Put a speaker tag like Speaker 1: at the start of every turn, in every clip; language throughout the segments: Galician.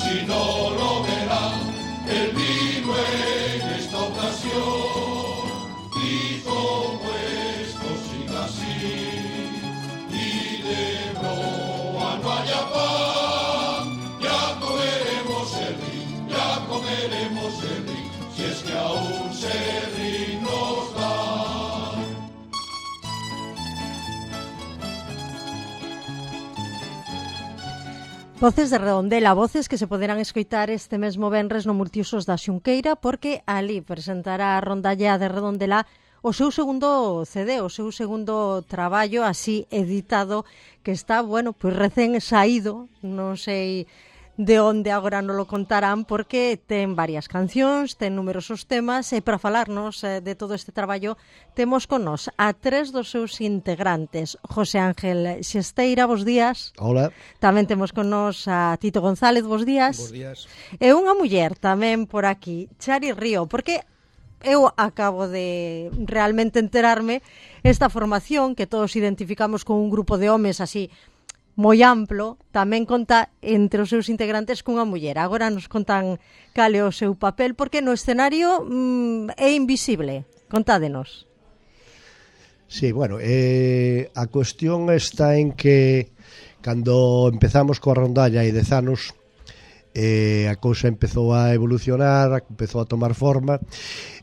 Speaker 1: si no lo verán, el vino en esta ocasión. Y como esto siga así, y de broa no haya pan, ya comeremos el rin, ya comeremos el rin, si es que aún Serrín nos da.
Speaker 2: Voces de Redondela, voces que se poderán escoitar este mesmo venres no Multiusos da Xunqueira, porque ali presentará a rondalla de Redondela o seu segundo CD, o seu segundo traballo así editado, que está, bueno, pois recén saído, non sei de onde agora non lo contarán, porque ten varias cancións, ten numerosos temas, e para falarnos de todo este traballo temos con nós a tres dos seus integrantes. José Ángel Xesteira, bos días.
Speaker 3: Hola.
Speaker 2: Tamén temos con nós a Tito González, bos días.
Speaker 3: Bos días.
Speaker 2: E unha muller tamén por aquí, Chari Río, porque eu acabo de realmente enterarme esta formación que todos identificamos con un grupo de homes así moi amplo, tamén conta entre os seus integrantes cunha muller. Agora nos contan cal é o seu papel, porque no escenario é invisible. Contádenos.
Speaker 3: Sí, bueno, a cuestión está en que cando empezamos coa rondalla hai 10 anos, a cousa empezou a evolucionar, empezou a tomar forma,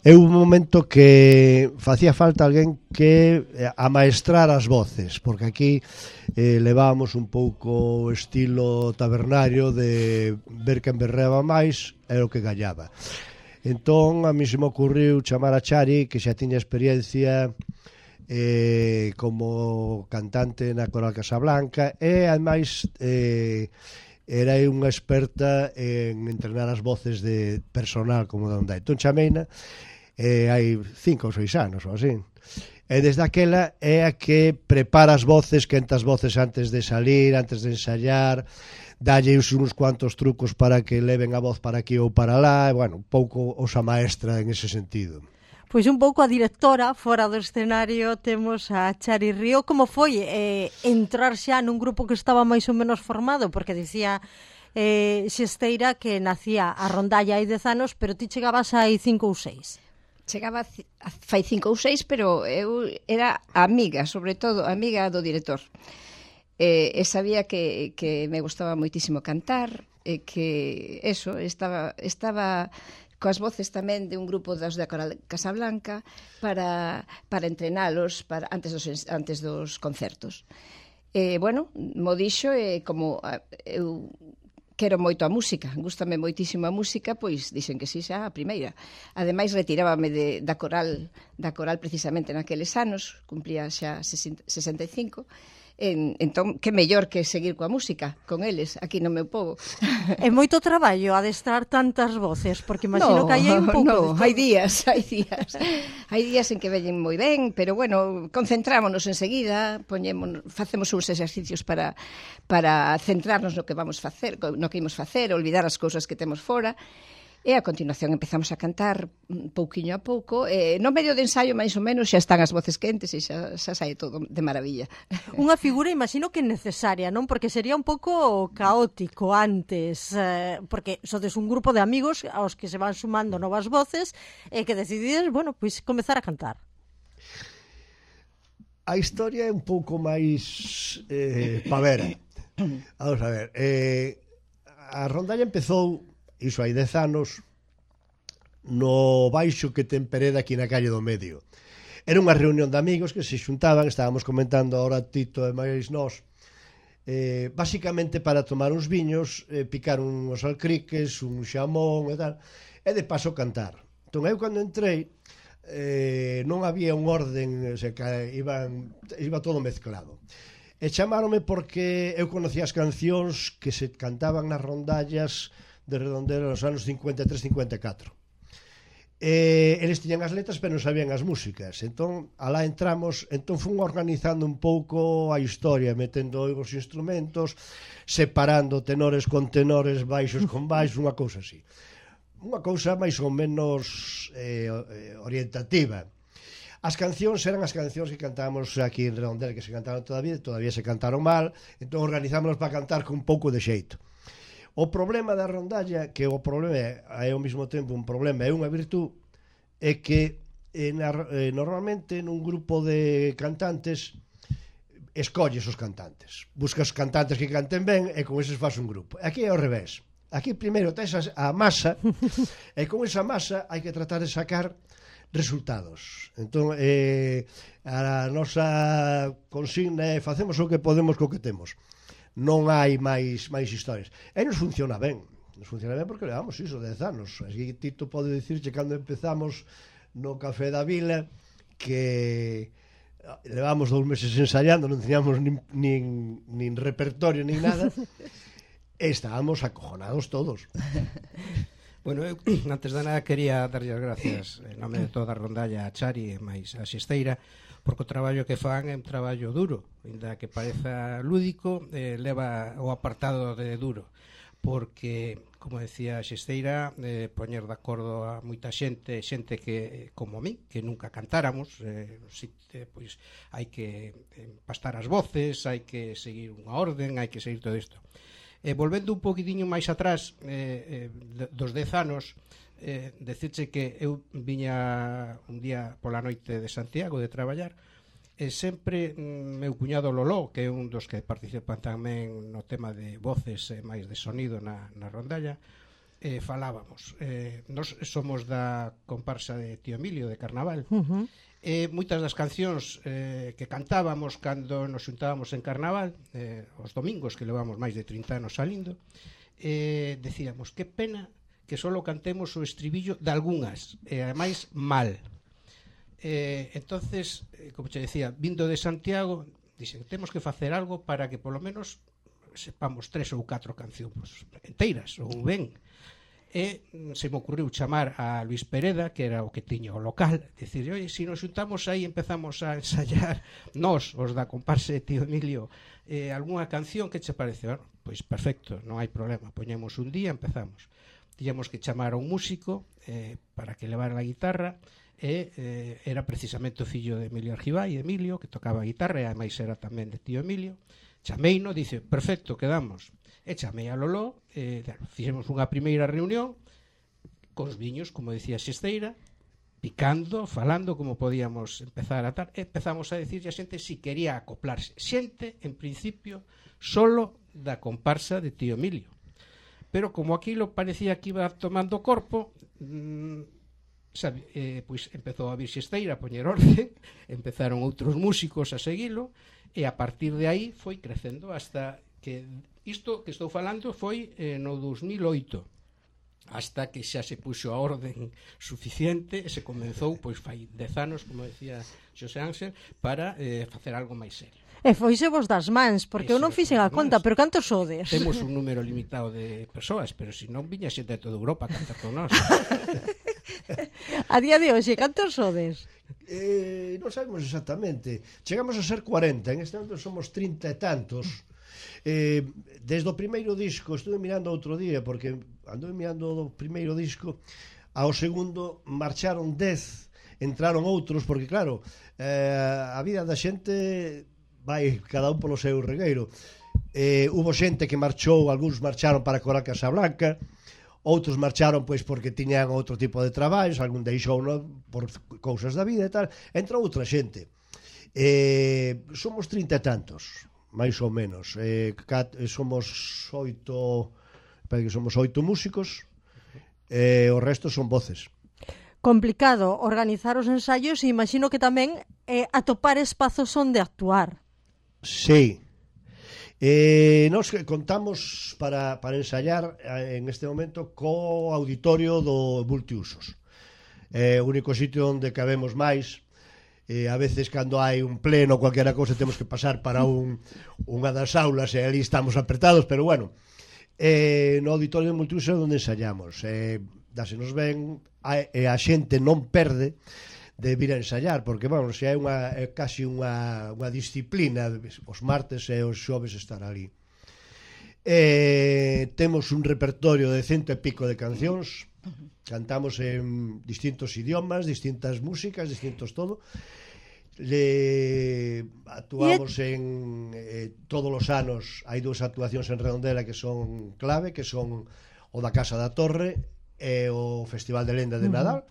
Speaker 3: e un momento que facía falta alguén que amaestrar as voces, porque aquí levábamos un pouco estilo tabernario de ver quen berreaba máis e o que gallaba. Entón a mí se me ocurriu chamar a Chari, que xa tiña experiencia como cantante na Coral Casablanca, e ademais era unha experta en entrenar as voces de personal como de onda. Entón chameina hai 5 ou 6 anos ou así. E desde aquela é a que prepara as voces, quenta as voces antes de salir, antes de ensayar, dalle uns cuantos trucos para que leven a voz para aquí ou para lá, e, bueno, un pouco osa maestra en ese sentido.
Speaker 2: Pois un pouco a directora, fora do escenario temos a Chari Río. Como foi entrar xa nun grupo que estaba máis ou menos formado? Porque dicía Xesteira que nacía a rondalla hai 10 anos, pero ti chegabas hai 5 ou 6.
Speaker 4: Chegaba fai 5 ou 6, pero eu era amiga, sobre todo amiga do director. E sabía que me gustaba moitísimo cantar, e que eso, estaba coas voces tamén de un grupo dos da Coral Casablanca para entrenalos antes dos concertos. Bueno, mo dixo, como eu quero moito a música, gústame moitísimo a música, pois dixen que sí xa a primeira. Ademais retirábame da coral precisamente naqueles anos, cumplía xa 65. Entón, que mellor que seguir coa música con eles aquí no meu pobo.
Speaker 2: É moito traballo adestrar tantas voces, porque imagino que aí hai un pouco de todo.
Speaker 4: Hai días en que veñen moi ben, pero bueno, concentrámonos enseguida, facemos uns exercicios para centrarnos no que vamos facer, no que imos facer, olvidar as cousas que temos fora. E a continuación empezamos a cantar pouquiño a pouco, no medio de ensaio máis ou menos xa están as voces quentes e xa sai todo de maravilla.
Speaker 2: Unha figura, imagino que necesaria, non? Porque sería un pouco caótico antes, porque sodes un grupo de amigos aos que se van sumando novas voces e que decidides, bueno, pois comezar a cantar.
Speaker 3: A historia é un pouco máis pavera. Vamos a ver, a rondalla empezou iso hai 10 anos no baixo que ten Pereda aquí na calle do Medio. Era unha reunión de amigos que se xuntaban, estábamos comentando ahora Tito e máis nós, basicamente para tomar uns viños, picar uns alcriques, un xamón e tal, e de paso cantar. Entón eu cando entrei non había un orden, o sea, que iba todo mezclado. E chamáronme porque eu conocía as cancións que se cantaban nas rondallas de Redondela nos anos 53-54. Eles tiñan as letras pero non sabían as músicas, entón alá entramos, entón fun organizando un pouco a historia, metendo os instrumentos, separando tenores con tenores, baixos con baixos, unha cousa así, unha cousa máis ou menos orientativa. As cancións eran as cancións que cantábamos aquí en Redondela, que se cantaron todavía se cantaron mal, entón organizámonos para cantar con un pouco de xeito. O problema da rondalla, que o problema é ao mesmo tempo un problema e unha virtud, é que normalmente nun grupo de cantantes escolles os cantantes, buscas cantantes que canten ben e con eses faz un grupo. Aquí é ao revés. Aquí primeiro tes a masa e con esa masa hai que tratar de sacar resultados. Entón, a nosa consigna é facemos o que podemos co que temos. Non hai máis historias. E nos funciona ben. Nos funciona ben porque levamos iso 10 anos. Así Tito pode dicirche cando empezamos no Café da Vila que levamos 2 meses ensayando, non teníamos nin repertorio nin nada. Estábamos acojonados todos.
Speaker 5: Bueno, eu antes de nada quería darlle as gracias en nome de toda a rondalla a Chari e máis a Xesteira, porque o traballo que fan é un traballo duro, ainda que pareza lúdico, leva o apartado de duro, porque, como decía a Xesteira, poñer de acordo a moita xente que, como a mí, que nunca cantáramos, pois hai que empastar as voces, hai que seguir unha orden, hai que seguir todo isto. Volvendo un poquitiño máis atrás dos 10 anos, decirche que eu viña un día pola noite de Santiago de traballar e sempre meu cuñado Loló, que é un dos que participan tamén no tema de voces e máis de sonido na rondalla, falábamos. Nos somos da comparsa de Tío Emilio de Carnaval. Moitas das cancións que cantábamos cando nos xuntábamos en Carnaval, os domingos, que levamos máis de 30 anos salindo, decíamos, que pena que só cantemos o estribillo de algunhas, e ademais mal. Entonces, como te decía, vindo de Santiago, dixen, temos que facer algo para que polo menos sepamos 3 ou 4 cancións enteiras, ou ben. E se me ocurriu chamar a Luis Pereda, que era o que tiña o local, dicir, oi, se nos xuntamos aí empezamos a ensayar nós, os da comparsa de Tío Emilio, algunha canción, que che parece? Bueno, pois perfecto, non hai problema, poñemos un día, empezamos. Tiñamos que chamar a un músico para que levara a guitarra, e era precisamente o fillo de Emilio Argibay, Emilio, que tocaba a guitarra, e ademais era tamén de Tío Emilio. Chameino, dice, perfecto, quedamos. E chamei a Loló, fixemos unha primeira reunión cos viños, como decía Xesteira, picando, falando como podíamos empezar a tal, e empezamos a decirlle a xente si quería acoplarse. Xente, en principio, solo da comparsa de Tío Emilio. Pero como aquilo parecía que iba tomando corpo, pois empezou a vir Xesteira a poñer orden, empezaron outros músicos a seguilo, e a partir de aí foi crecendo hasta que isto que estou falando foi no 2008, hasta que xa se puxo a orden suficiente e se comenzou, pois fai 10 anos, como decía Xosé Ángel, para facer algo máis serio.
Speaker 2: E foise vos das mans, porque eu non fixen a conta, pero cantos sodes?
Speaker 5: Temos un número limitado de persoas, pero se non viña xente de toda Europa a cantar con nós.
Speaker 2: A día de hoxe, cantos sodes?
Speaker 3: Non sabemos exactamente. Chegamos a ser 40, en este momento somos 30 e tantos. Desde o primeiro disco, estuve mirando outro día, porque anduve mirando o primeiro disco, ao segundo marcharon 10, entraron outros, porque claro, a vida da xente vai cada un polo seu regueiro. Hubo xente que marchou, algúns marcharon para Coral Casablanca, outros marcharon pois porque tiñan outro tipo de traballos, algún deixou por cousas da vida e tal, entrou outra xente. Somos 30 e tantos, máis ou menos. Somos 8 músicos, o resto son voces.
Speaker 2: Complicado organizar os ensaios e imagino que tamén atopar espazos onde actuar.
Speaker 3: Sí. Nos contamos para ensayar en este momento co auditorio do multiusos. O único sitio onde cabemos máis. A veces cando hai un pleno ou cualquiera cousa temos que pasar para unha das aulas e ali estamos apretados, pero bueno, no auditorio do multiusos é onde ensayamos. Dásenos ben, e a xente non perde de vir a ensayar, porque, bueno, se hai casi unha disciplina os martes e os xoves estar ali. Temos un repertorio de 100 e pico de cancións, cantamos en distintos idiomas, distintas músicas, distintos todo. Actuamos en todos os anos, hai dúas actuacións en Redondela que son clave, que son o da Casa da Torre e o Festival de Lenda de Nadal,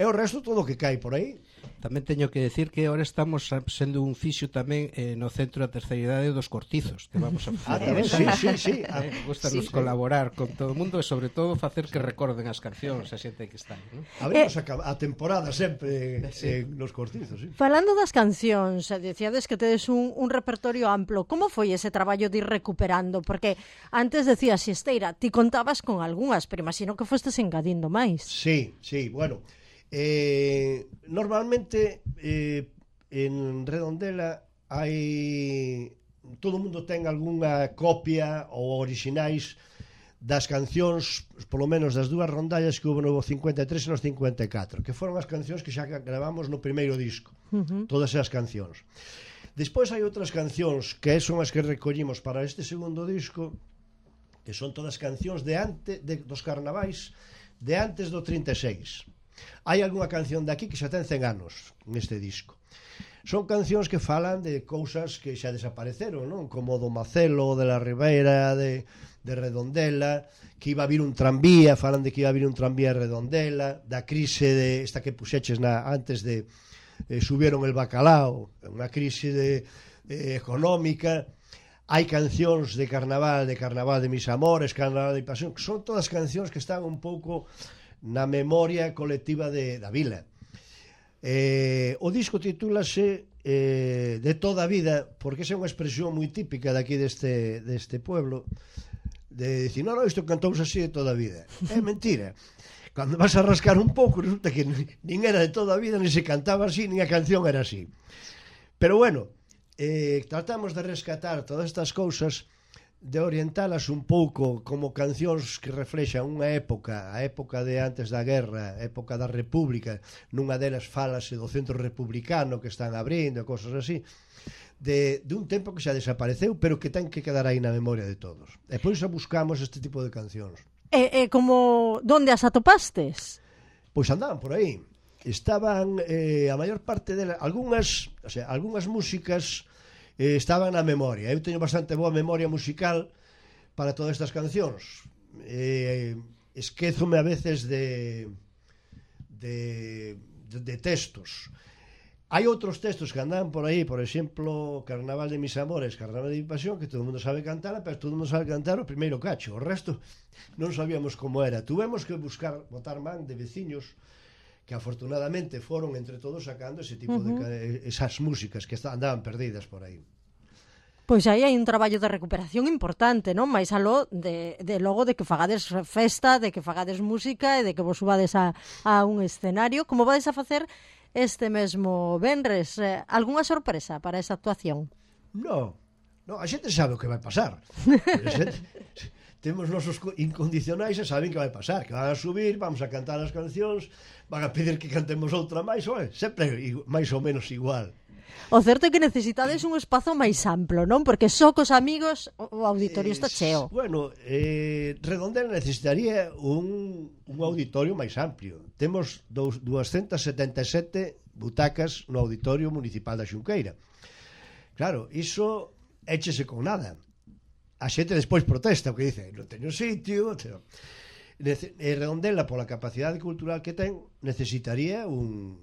Speaker 3: e o resto todo o que cae por aí.
Speaker 5: Tamén teño que decir que ahora estamos sendo un fixo tamén no Centro da Terceira Idade dos Cortizos, que vamos a facer.
Speaker 3: Sí.
Speaker 5: Gustanos colaborar con todo o mundo e sobre todo facer que recorden as cancións a xente que está aí, non?
Speaker 3: Abrimos a temporada sempre nos Cortizos, sí.
Speaker 2: Falando das cancións, dicíades que tedes un repertorio amplo. Como foi ese traballo de ir recuperando? Porque antes decías, Xesteira, ti contabas con algunhas, pero imagino que fostes engadindo máis.
Speaker 3: Sí, bueno, normalmente en Redondela hai todo o mundo ten algunha copia ou orixinais das cancións, polo menos das dúas rondallas que houve no 53 e no 54, que foron as cancións que xa gravamos no primeiro disco, todas esas cancións. Despois hai outras cancións que son as que recollimos para este segundo disco, que son todas cancións dos carnavais de antes do 36. Hai algunha canción de aquí que xa ten 100 anos neste disco. Son cancións que falan de cousas que xa desapareceron, non? Como do Macelo, de la Ribeira, de Redondela, que iba a vir un tranvía, falan de que iba a vir un tranvía a Redondela, da crise de esta que puxeches antes de subieron el bacalao, unha crise económica. Hai cancións de carnaval de mis amores, carnaval de pasión, que son todas cancións que están un pouco na memoria colectiva da vila. O disco titúlase De toda a vida, porque esa é unha expresión moi típica daqui deste pueblo, de dicir, non, isto cantouse así de toda a vida. É mentira. Cando vas a rascar un pouco, resulta que nin era de toda a vida, nin se cantaba así, nin a canción era así. Pero bueno, tratamos de rescatar todas estas cousas, de orientalas un pouco como cancións que reflexan unha época, a época de antes da guerra, a época da República. Nunha delas falase do centro republicano que están abrindo, cosas así, de un tempo que xa desapareceu, pero que ten que quedar aí na memoria de todos. E por iso buscamos este tipo de cancións.
Speaker 2: Como, donde as atopastes?
Speaker 3: Pois andaban por aí. Estaban, a maior parte delas, algunhas músicas estaban na memoria. Eu teño bastante boa memoria musical para todas estas cancións. Esquézome a veces de textos. Hai outros textos que andan por aí, por exemplo, Carnaval de mis amores, Carnaval de mi pasión, que todo o mundo sabe cantar, pero todo o mundo sabe cantar o primeiro cacho. O resto non sabíamos como era. Tuvemos que botar man de veciños que afortunadamente foron entre todos sacando ese tipo de esas músicas que andaban perdidas por aí.
Speaker 2: Pois aí hai un traballo de recuperación importante, non? Mais aló de logo de que fagades festa, de que fagades música e de que vos subades a un escenario. Como vades a facer este mesmo venres? Algunha sorpresa para esa actuación?
Speaker 3: No, a xente sabe o que vai pasar. Temos nosos incondicionais e saben que vai pasar, que van a subir, vamos a cantar as cancións, van a pedir que cantemos outra máis, sempre máis ou menos igual.
Speaker 2: O certo é que necesitades un espazo máis amplo, non? Porque só cos amigos o auditorio está cheo.
Speaker 3: Bueno, Redondela necesitaría un auditorio máis amplio. Temos 277 butacas no auditorio municipal da Xunqueira. Claro, iso échese con nada. A xente despois protesta, porque dice, non teño sitio. Redondela, pola capacidade cultural que ten, necesitaría un...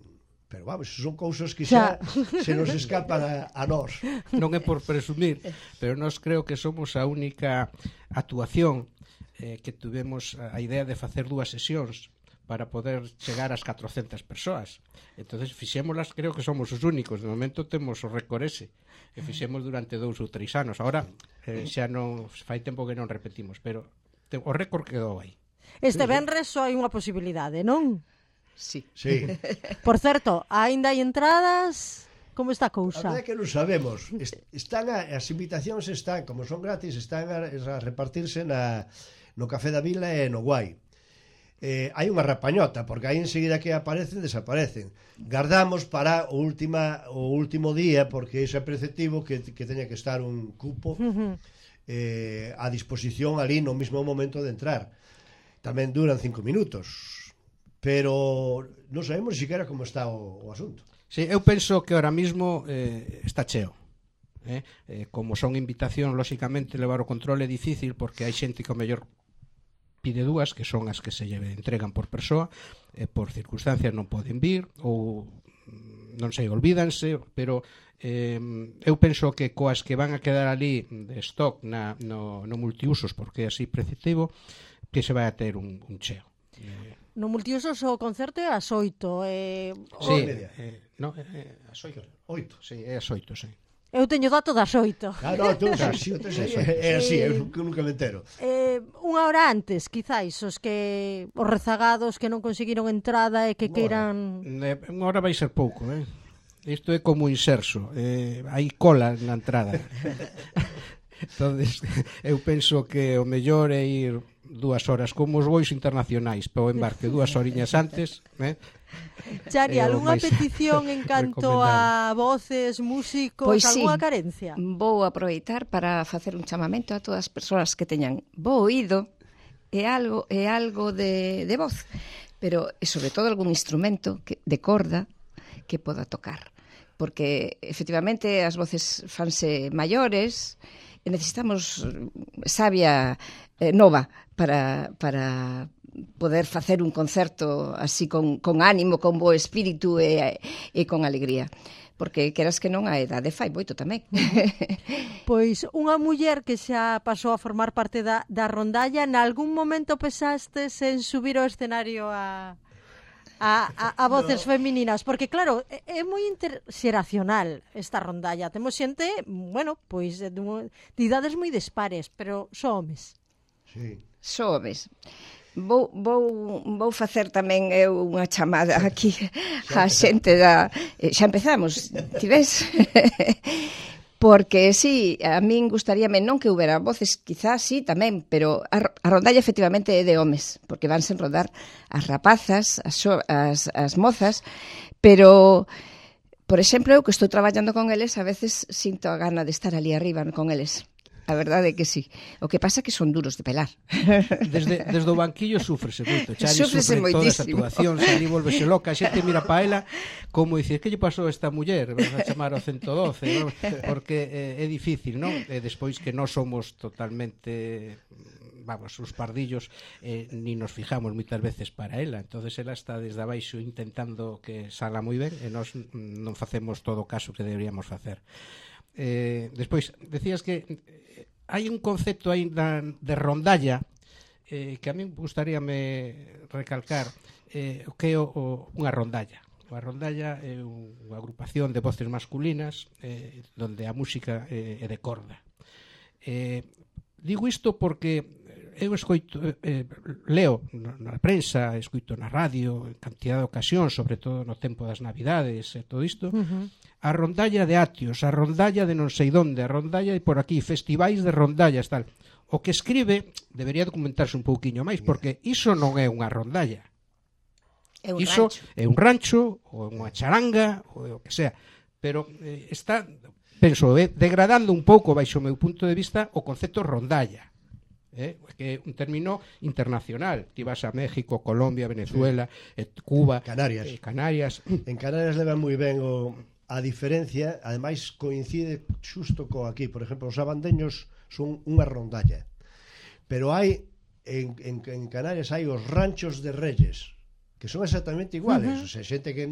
Speaker 3: Pero vamos, son cousas que xa se nos escapan a nós.
Speaker 5: Non é por presumir, pero nós creo que somos a única actuación que tuvemos a idea de facer 2 sesións para poder chegar ás 400 persoas. Entonces fixémolas, creo que somos os únicos. De momento temos o récord ese, que fixemos durante 2 ou 3 anos. Ahora xa non fai tempo que non repetimos, pero o récord quedou aí.
Speaker 2: Este venres só hai unha posibilidade, non?
Speaker 4: Sí.
Speaker 2: Por certo, aínda hai entradas? Como está a cousa?
Speaker 3: A verdade é que non sabemos. As invitacións están, como son gratis, están a repartirse no Café da Vila e no Guai. Hai unha rapañota, porque aí enseguida que aparecen, desaparecen. Gardamos para o último día, porque iso é preceptivo que teña que estar un cupo a disposición ali no mesmo momento de entrar. Tamén duran 5 minutos. pero non sabemos siquiera como está o asunto.
Speaker 5: Sí, eu penso que ahora mismo está cheo. Como son invitación, lóxicamente levar o control é difícil porque hai xente que o mellor pide dúas, que son as que se lle entregan por persoa, por circunstancias non poden vir ou non sei, olvídanse, pero eu penso que coas que van a quedar ali de stock no multiusos, porque é así preceptivo, que se vai a ter un cheo.
Speaker 2: No multiusos o concerto é ás 8.
Speaker 5: Sí, ás 8. Sí, é ás 8, sí.
Speaker 2: Eu teño dato das 8.
Speaker 3: Claro, tú, sí, é así, eu nunca me entero.
Speaker 2: Unha hora antes, quizáis, os rezagados que non conseguiron entrada e que queiran...
Speaker 5: Unha hora vai ser pouco, Isto é como inserso, hai cola na entrada. Entonces, eu penso que o mellor é ir 2 horas como os voos internacionais para o embarque 2 horiñas antes,
Speaker 2: Chari, algunha petición en canto a voces, músicos,
Speaker 4: pois
Speaker 2: algunha
Speaker 4: sí,
Speaker 2: carencia?
Speaker 4: Vou aproveitar para facer un chamamento a todas as persoas que teñan bo oído e algo de voz, pero sobre todo algún instrumento de corda que poda tocar, porque efectivamente as voces fanse maiores e necesitamos sabia nova para poder facer un concerto así con ánimo, con bo espírito e con alegría. Porque queras que non a edade fai moito tamén.
Speaker 2: Pois unha muller que xa pasou a formar parte da rondalla, nalgún momento pensastes en subir ao escenario a voces femininas? Porque claro, é moi interxeracional esta rondalla. Temos xente, bueno, pois de idades moi dispares, pero só homes.
Speaker 3: Sí.
Speaker 4: Só homes. Vou facer tamén eu unha chamada aquí á xente da... Xa empezamos, ti ves? Porque sí, a min gustaríame non que houbera voces, quizás sí tamén, pero a rondalla efectivamente é de homes, porque vanse rodar as rapazas, as mozas, pero, por exemplo, eu que estou traballando con eles, a veces sinto a gana de estar ali arriba con eles. A verdade é que sí. O que pasa é que son duros de pelar.
Speaker 5: Desde o banquillo súfrese moito. Chari
Speaker 4: Súfrese
Speaker 5: sufre todas as
Speaker 4: moitísimo.
Speaker 5: actuacións, ali volvese loca, a xente mira pa ela como dice, que lle pasou a esta muller? Vas a chamar ao 112, non? Porque é difícil, non? E despois que nós somos totalmente, vamos, os pardillos, ni nos fijamos moitas veces para ela. Entonces ela está desde abaixo intentando que salga moi ben e nós non facemos todo o caso que deberíamos facer. Despois, decías que hai un concepto aí de rondalla que a min gustaríame recalcar o que é unha rondalla. A rondalla é unha agrupación de voces masculinas donde a música é de corda. Digo isto porque eu escoito, leo na prensa, escoito na radio, en cantidad de ocasións, sobre todo no tempo das Navidades e todo isto, a rondalla de Atios, a rondalla de non sei donde, a rondalla de por aquí, festivais de rondallas, tal. O que escribe debería documentarse un pouquiño máis, porque iso non é unha rondalla. Iso é un rancho, ou unha charanga, ou o que sea. Pero está, penso, degradando un pouco, baixo o meu punto de vista, o concepto rondalla. Que é un término internacional. Ti vas a México, Colombia, Venezuela, Cuba,
Speaker 3: Canarias. En Canarias levan moi ben a diferencia, ademais coincide xusto co aquí. Por exemplo, os abandeños son unha rondalla, pero hai en Canarias hai os ranchos de reyes, que son exactamente iguales. O sea, xente que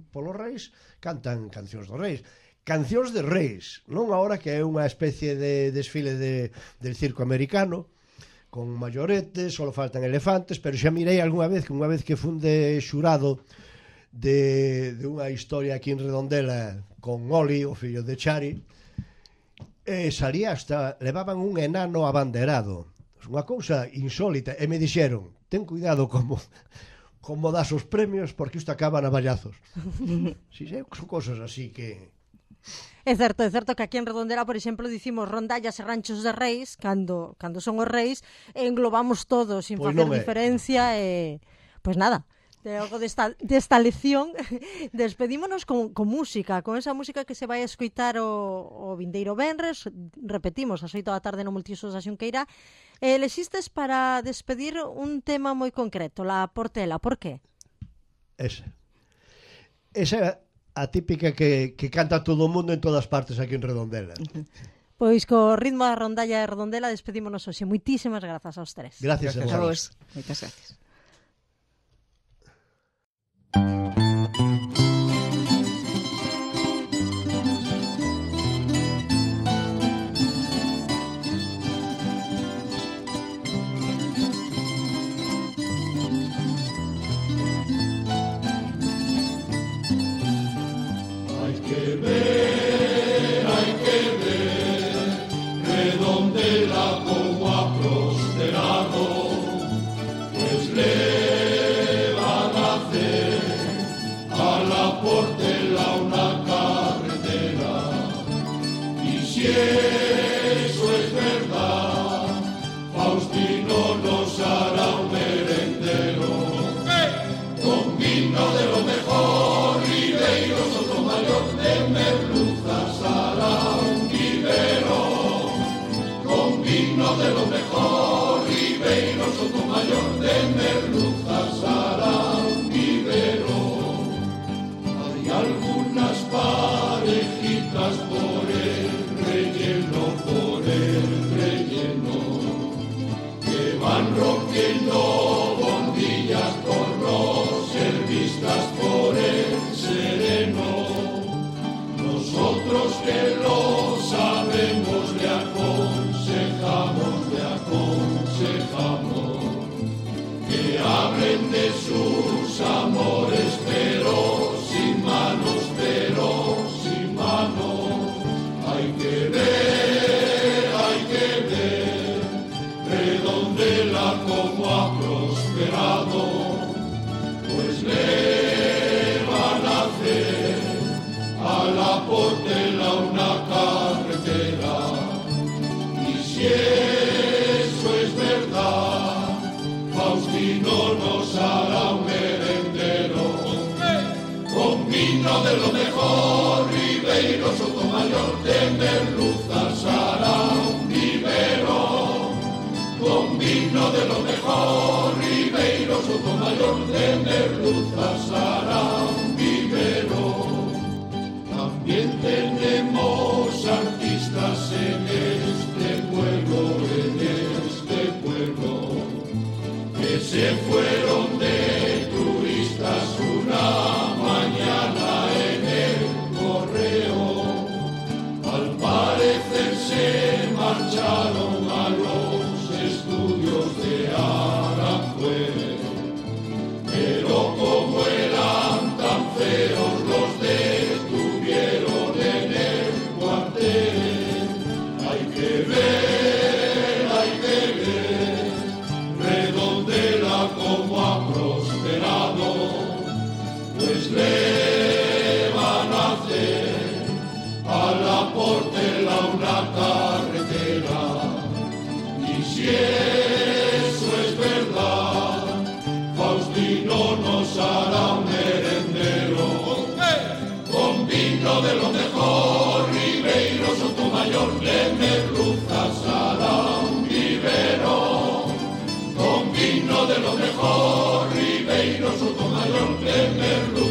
Speaker 3: polos reis cantan cancións dos reis, cancións de reis, non agora que é unha especie de desfile del circo americano con mayoretes, só faltan elefantes, pero xa mirei algunha vez que funde xurado de unha historia aquí en Redondela con Oli, o fillo de Chari, salía hasta, levaban un enano abanderado, unha cousa insólita, e me dixeron, ten cuidado como das os premios, porque isto acaba na ballazos. Si, son cosas así que...
Speaker 2: É certo que aquí en Redondela, por exemplo, dicimos rondallas e ranchos de reis, cando son os reis, englobamos todos sin facer diferencia, pois nada. Logo desta lección despedímonos con música, con esa música que se vai a escoitar o vindeiro venres, repetimos, as 8 da tarde no Multiusos da Xunqueira. Lexistes para despedir un tema moi concreto, la Portela, por qué?
Speaker 3: Esa é a típica que canta todo o mundo en todas partes aquí en Redondela.
Speaker 2: Pois co ritmo da rondalla de Redondela despedímonos hoxe. Moitísimas grazas aos tres.
Speaker 3: Gracias a vos.
Speaker 4: Moitas gracias.
Speaker 1: Redondela como ha prosperado, pues le van a hacer a la Portela una carretera. Y si eso es verdad, Faustino nos hará un merendero con vino de lo mejor, Ribeiro Sotomayor de merluzas hará un vivero. Con vino de lo mejor, Ribeiro Sotomayor de merluzas hará un vivero. Hay algunas parejitas por el relleno, que van rompiendo bombillas por no ser vistas por el sereno. Nosotros que lo sabemos le aconsejamos que hablen de sus amores, pero sin manos. Hay que ver, Redondela como ha prosperado, pues le van a hacer a la Portela una carretera. Y si eso es verdad, Faustino nos hará un merendero con vino de lo mejor, Ribeiro Sotomayor de merluzas hará un vivero. Con vino de lo mejor, Ribeiro Sotomayor de merluzas hará un vivero. También tenemos artistas en este pueblo, que se fueron de turistas una mañana en el correo. Al parecer se marcharon a los estudios de Aranjuez, pero como eran tan feos los detuvieron en el cuartel. Hay que ver, Redondela como ha prosperado, pues le van a hacer a la Portela una carretera. Y si eso es verdad, Faustino nos hará un merendero con vino de lo mejor, Ribeiro Sotomayor de merluzas hará un vivero. Con vino de lo mejor, Ribeiro Sotomayor de merluzas